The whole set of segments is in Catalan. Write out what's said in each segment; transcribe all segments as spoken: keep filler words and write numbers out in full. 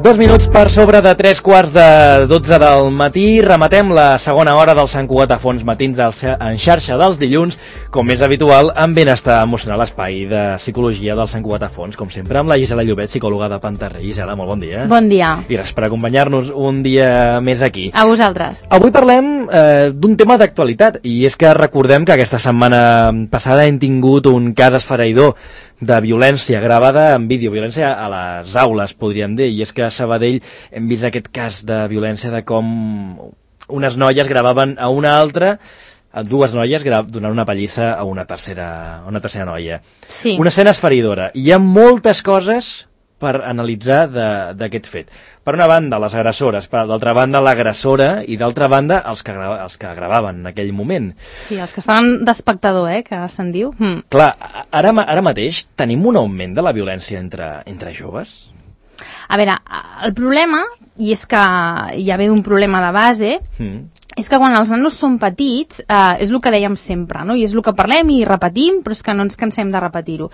Dos minuts per sobre de tres quarts de dotze del matí. Rematem la segona hora del Sant Cugat a Fons Matins en xarxa dels dilluns, com és habitual, amb Benestar Emocional, espai de psicologia del Sant Cugat a Fons, com sempre, amb la Gisela Llobet, psicòloga de Pantarré. Gisela, molt bon dia. Bon dia. I gràcies per acompanyar-nos un dia més aquí. A vosaltres. Avui parlem eh, d'un tema d'actualitat, i és que recordem que aquesta setmana passada hem tingut un cas esfereïdor de violència gravada en vídeo, violència a les aules, podríem dir, i és que a Sabadell hem vist aquest cas de violència de com unes noies gravaven a una altra, a dues noies donant una pallissa a una tercera, a una tercera noia. Sí. Una escena esfereïdora. Hi ha moltes coses per analitzar d'aquest fet. Per una banda, les agressores, per d'altra banda, l'agressora, i d'altra banda, els que, grava, els que gravaven en aquell moment. Sí, els que estaven d'espectador, eh, que se'n diu. Mm. Clar, ara, ara mateix tenim un augment de la violència entre, entre joves? A veure, el problema, i és que ja ve d'un problema de base, mm. és que quan els nanos són petits, eh, és el que dèiem sempre, no? I és el que parlem i repetim, però és que no ens cansem de repetir-ho.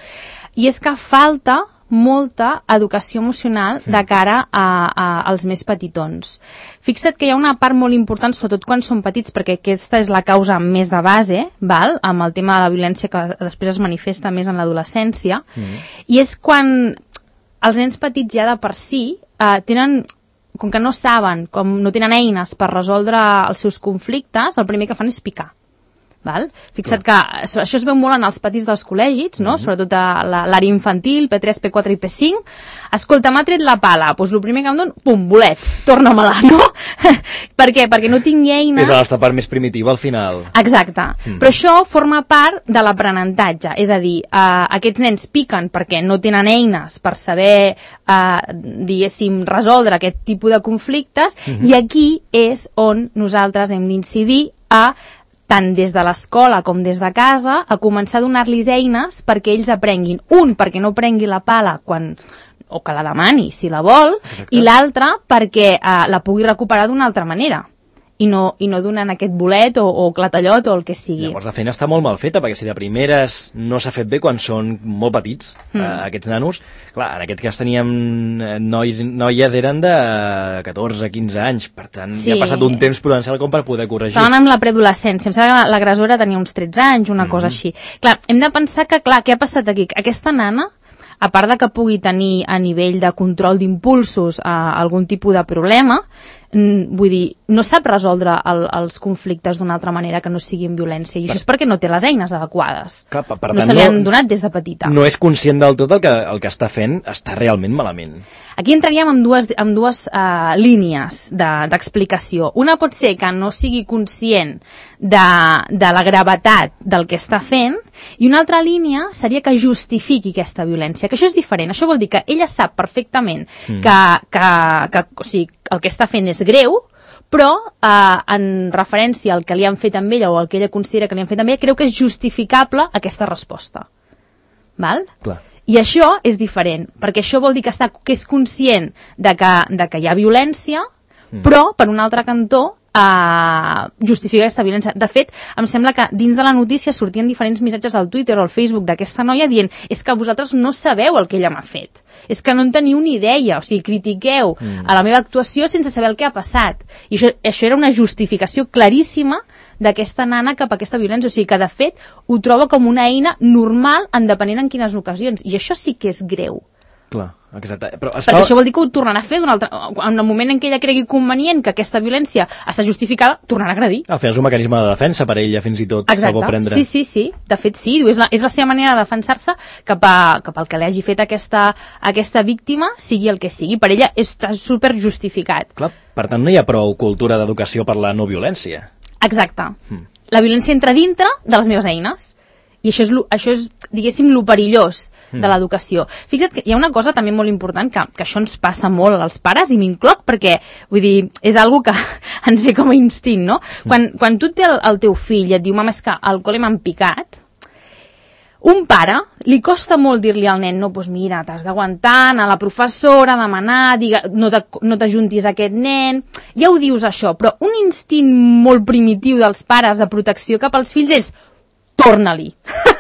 I és que falta molta educació emocional de cara a, a, als més petitons. Fixa't que hi ha una part molt important, sobretot quan són petits, perquè aquesta és la causa més de base, val? Amb el tema de la violència que després es manifesta més en l'adolescència, mm. i és quan els nens petits ja de per si eh, tenen, com que no saben, com no tenen eines per resoldre els seus conflictes, el primer que fan és picar. Val? Fixa't que això es veu molt en els patis dels col·legis, no? Mm-hmm. Sobretot a l'àrea infantil, P tres, P quatre i P cinc. Escolta, m'ha tret la pala, doncs el primer que em dono, pum, bolet, torna-me-la, no? Per què? Perquè no tinc eines... És la part més primitiva al final. Exacte. Mm. Però això forma part de l'aprenentatge, és a dir, eh, aquests nens piquen perquè no tenen eines per saber, eh, diguéssim, resoldre aquest tipus de conflictes, mm-hmm. i aquí és on nosaltres hem d'incidir a tant des de l'escola com des de casa, a començar a donar-los eines perquè ells aprenguin. Un, perquè no prengui la pala quan, o que la demani, si la vol, exacte. I l'altre, perquè eh, la pugui recuperar d'una altra manera. I no, i no donant aquest bolet o, o clatallot o el que sigui. Llavors la feina està molt mal feta, perquè si de primeres no s'ha fet bé quan són molt petits, mm. eh, aquests nanos, clar, en aquest cas teníem nois, noies eren de catorze a quinze anys, per tant sí. Ja ha passat un temps prudencial com per poder corregir. Estaven amb la preadolescència, em sembla que l'agressora tenia uns tretze anys, una mm-hmm. cosa així. Clar, hem de pensar que, clar, què ha passat aquí? Aquesta nana, a part de que pugui tenir a nivell de control d'impulsos eh, algun tipus de problema, vull dir, no sap resoldre el, els conflictes d'una altra manera que no sigui en violència, i això és perquè no té les eines adequades. Clar, per no tant, se li han no, donat des de petita. No és conscient del tot el que, el que està fent està realment malament. Aquí entraríem amb dues, amb dues uh, línies d'explicació. De, Una pot ser que no sigui conscient de, de la gravetat del que està fent, i una altra línia seria que justifiqui aquesta violència, que això és diferent. Això vol dir que ella sap perfectament mm. que, que, que o sigui, el que està fent és greu, però eh, en referència al que li han fet amb ella o al que ella considera que li han fet amb ella, creu que és justificable aquesta resposta. Val? Clar. I això és diferent, perquè això vol dir que, està, que és conscient de que, de que hi ha violència, mm. però, per un altre cantó, Uh, justifica aquesta violència. De fet, em sembla que dins de la notícia sortien diferents missatges al Twitter o al Facebook d'aquesta noia dient és que vosaltres no sabeu el que ella m'ha fet. És que no en teniu ni idea, o sigui, critiqueu mm. a la meva actuació sense saber el que ha passat. I això, això era una justificació claríssima d'aquesta nana cap a aquesta violència. O sigui, que de fet ho troba com una eina normal en depenent en quines ocasions. I això sí que és greu. Clar, exacte. Però està... Perquè això vol dir que ho tornarà a fer d'un altre... en el moment en què ella cregui convenient que aquesta violència està justificada, tornarà a agredir. Al final és un mecanisme de defensa per ella, fins i tot. Exacte, prendre. sí, sí, sí. De fet, sí, és la, és la seva manera de defensar-se cap, a, cap al que li hagi fet aquesta, aquesta víctima, sigui el que sigui. Per ella està super justificat. Clar, per tant no hi ha prou cultura d'educació per la no violència. Exacte. Hmm. La violència entra dintre de les meves eines. I això és, això és diguéssim, lo perillós de l'educació. Fixa't que hi ha una cosa també molt important, que, que això ens passa molt als pares, i m'incloc perquè, vull dir, és algo que ens ve com a instint, no? Quan, quan tu et ve el, el teu fill i et diu, mama, és que al col·le m'han picat, un pare li costa molt dir-li al nen, no, doncs mira, t'has d'aguantar, anar a la professora, demanar, diga, no t'ajuntis a aquest nen, ja ho dius això, però un instint molt primitiu dels pares de protecció cap als fills és torna-li.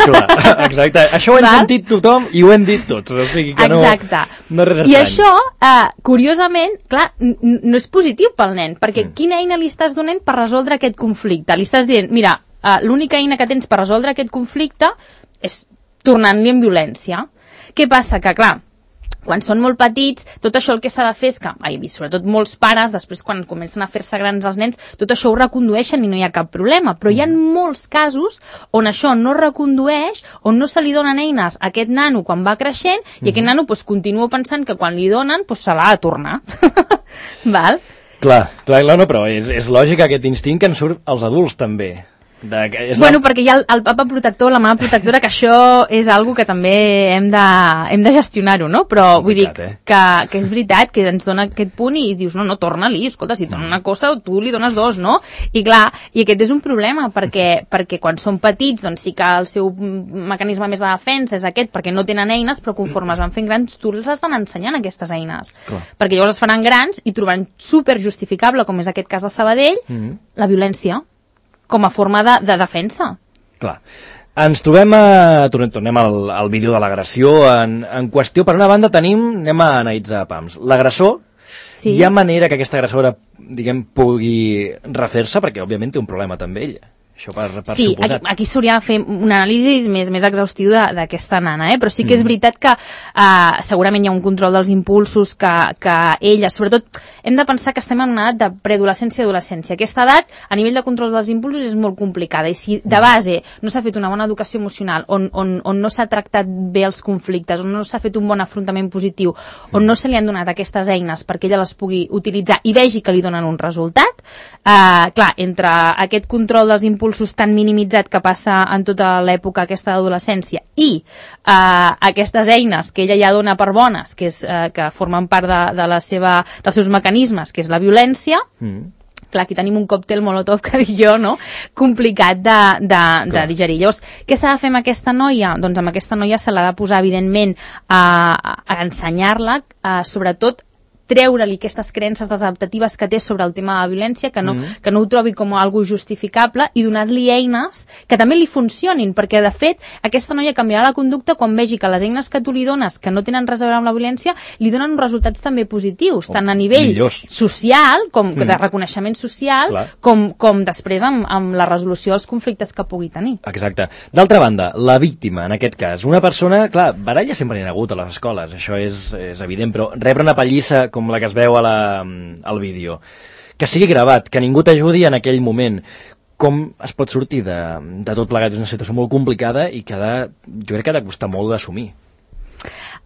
Clar, exacte. Això ho hem Val? sentit tothom i ho hem dit tots. O sigui que exacte. no, no és res estrany. I això, uh, curiosament, clar, no és positiu pel nen, perquè mm. quina eina li estàs donant per resoldre aquest conflicte? Li estàs dient, mira, uh, l'única eina que tens per resoldre aquest conflicte és tornant-li en violència. Què passa? Que, clar, quan són molt petits, tot això el que s'ha de fer és que, ai, sobretot molts pares, després quan comencen a fer-se grans els nens, tot això ho recondueixen i no hi ha cap problema. Però hi ha molts casos on això no recondueix, on no se li donen eines a aquest nano quan va creixent i mm-hmm. aquest nano pues, continua pensant que quan li donen pues, se l'ha de tornar. Val? Clar, clar, no, però és, és lògic aquest instint que ens surt als adults també. De, és bueno, la... perquè hi ha el, el papa protector, la mama protectora, que això és algo que també hem de, hem de gestionar-ho, no? Però vull dir eh? que, que és veritat que ens dona aquest punt i dius, no, no, torna-li, escolta, si dona una cosa, tu li dones dos, no? I clar, i aquest és un problema, perquè, perquè quan són petits, doncs sí que el seu mecanisme més de defensa és aquest, perquè no tenen eines, però conforme es van fent grans, tu els estan ensenyant aquestes eines. Clar. Perquè llavors es faran grans i trobaran super justificable, com és aquest cas de Sabadell, mm-hmm. la violència com a forma de, de defensa. Clar. Ens trobem a... Tornem al, al vídeo de l'agressió en, en qüestió. Per una banda tenim, anem a analitzar pams, l'agressor. Sí. Hi ha manera que aquesta agressora, diguem, pugui refer-se, perquè òbviament té un problema també ella. Això per, per sí, suposat. aquí, aquí s'hauria de fer un anàlisi més, més exhaustiu d'aquesta nana, eh? Però sí que és veritat que uh, segurament hi ha un control dels impulsos que, que ella, sobretot, hem de pensar que estem en una edat de preadolescència i adolescència. Aquesta edat, a nivell de control dels impulsos, és molt complicada, i si de base no s'ha fet una bona educació emocional, on, on, on no s'ha tractat bé els conflictes, on no s'ha fet un bon afrontament positiu, on no se li han donat aquestes eines perquè ella les pugui utilitzar i vegi que li donen un resultat, uh, clar, entre aquest control dels impulsos impulsos tan minimitzat que passa en tota l'època aquesta d'adolescència i eh, aquestes eines que ella ja dona per bones, que, és, eh, que formen part de, de la seva, dels seus mecanismes, que és la violència, mm. clar, aquí tenim un còctel molotov, que dic jo, no? Complicat de, de, de digerir. Llavors, què s'ha de fer amb aquesta noia? Doncs amb aquesta noia se l'ha de posar, evidentment, a, a ensenyar-la, a, sobretot, treure-li aquestes creences desadaptatives que té sobre el tema de la violència, que no, mm. que no ho trobi com algo justificable, i donar-li eines que també li funcionin, perquè de fet aquesta noia canviarà la conducta quan vegi que les eines que tu li dones, que no tenen res a veure amb la violència, li donen uns resultats també positius, oh, tant a nivell millors. social, com mm. de reconeixement social, com, com després amb, amb la resolució dels conflictes que pugui tenir. Exacte. D'altra banda, la víctima, en aquest cas, una persona, clar, baralles sempre n'hi ha hagut a les escoles, això és, és evident, però rebre una pallissa com la que es veu a la, al vídeo, que sigui gravat, que ningú t'ajudi en aquell moment, com es pot sortir de, de tot plegat? És una situació molt complicada i que ha de, jo crec que ha de costar molt d'assumir.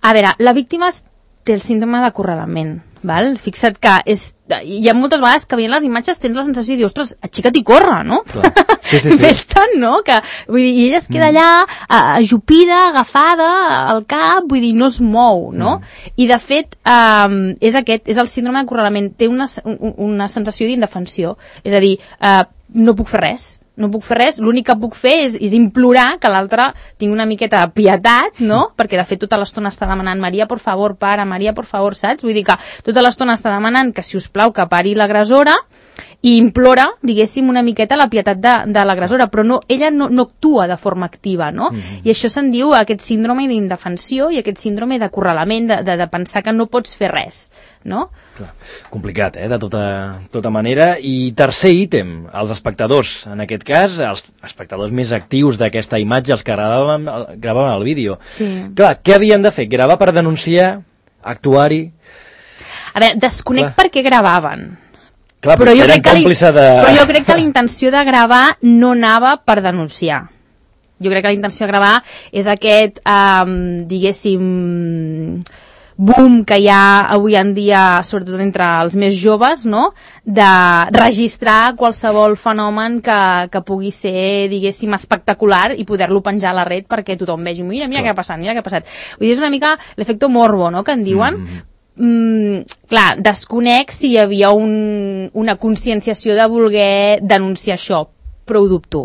A veure, la víctima té el síndrome d'acorralament, val? Fixa't que és, hi ha moltes vegades que veient les imatges tens la sensació de dir, ostres, aixeca't i corre, no? Sí, sí, sí. Ves tant, no? Que, vull dir, i ella es queda mm. allà ajupida, agafada al cap, vull dir, no es mou, no? Mm. I de fet, um, és aquest, és el síndrome d'acorralament, té una, una sensació d'indefensió, és a dir, uh, no puc fer res, no puc fer res, l'únic que puc fer és, és implorar que l'altre tingui una miqueta de pietat, no? Perquè de fet tota l'estona està demanant Maria, por favor, para, Maria, por favor, saps? Vull dir que tota l'estona està demanant que, si us plau, que pari l'agressora, i implora, diguéssim, una miqueta la pietat de, de l'agressora, però no, ella no, no actua de forma activa, no? Mm-hmm. I això se'n diu aquest síndrome d'indefensió i aquest síndrome d'acorralament, de, de, de pensar que no pots fer res, no? Clar. Complicat, eh? De tota, tota manera. I tercer ítem, els espectadors. En aquest cas, els espectadors més actius d'aquesta imatge, els que gravaven, gravaven el vídeo. Sí. Clar, què havien de fer? Gravar per denunciar? Actuar-hi? A veure, desconec Clar. per què gravaven. Clar, però, jo crec que de... però jo crec que la intenció de gravar no anava per denunciar. Jo crec que la intenció de gravar és aquest, um, diguéssim, boom que hi ha avui en dia, sobretot entre els més joves, no? De registrar qualsevol fenomen que, que pugui ser, diguéssim, espectacular i poder-lo penjar a la red perquè tothom vegi, mira, mira Clar. què ha passat, mira què ha passat. Vull dir, és una mica l'efecte morbo, no?, que en diuen. Mm-hmm. Mm, clar, desconec si hi havia un, una conscienciació de voler denunciar això, però ho dubto,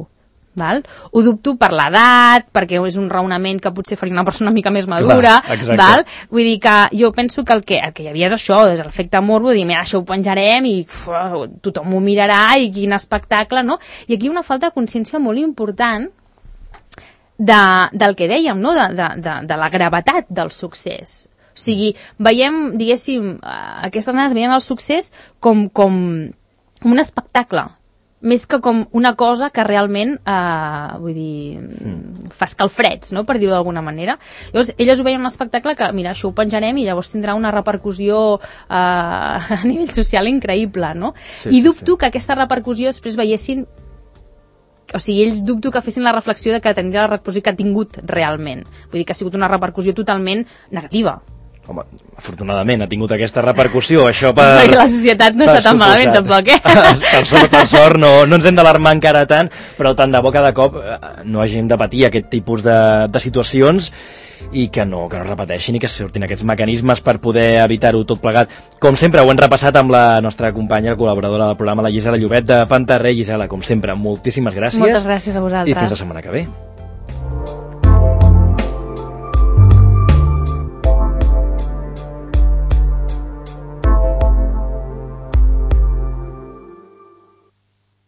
val? Ho dubto per l'edat, perquè és un raonament que potser faria una persona una mica més madura, Clar, val? Vull dir que jo penso que el que, el que hi havia és això, és l'efecte morbo, dir, mira, això ho penjarem i uf, tothom ho mirarà i quin espectacle, no? I aquí hi ha una falta de consciència molt important de, del que dèiem, no? de, de, de, de la gravetat del succés. O sigui, veiem, diguéssim, aquestes nenes veien el succés com, com un espectacle, més que com una cosa que realment, eh, vull dir, mm. fa escalfreds, no?, per dir-ho d'alguna manera. Llavors, elles ho veien un espectacle que, mira, això ho penjarem i llavors tindrà una repercussió eh, a nivell social increïble, no? Sí, I sí, dubto sí. que aquesta repercussió després veiessin, o sigui, ells dubto que fessin la reflexió de que tindria la repercussió que ha tingut realment. Vull dir que ha sigut una repercussió totalment negativa. Home, afortunadament ha tingut aquesta repercussió, això per... Perquè la societat no està tan malament, tampoc, eh? Per sort, per sort no, no ens hem d'alarmar encara tant, però tant de bo cada cop no hàgim de patir aquest tipus de, de situacions i que no, que no repeteixin i que surtin aquests mecanismes per poder evitar-ho tot plegat. Com sempre, ho hem repassat amb la nostra companya, col·laboradora del programa, la Gisela Llobet de Pantarré. Gisela, com sempre, moltíssimes gràcies. Moltes gràcies a vosaltres. I fins la setmana que ve.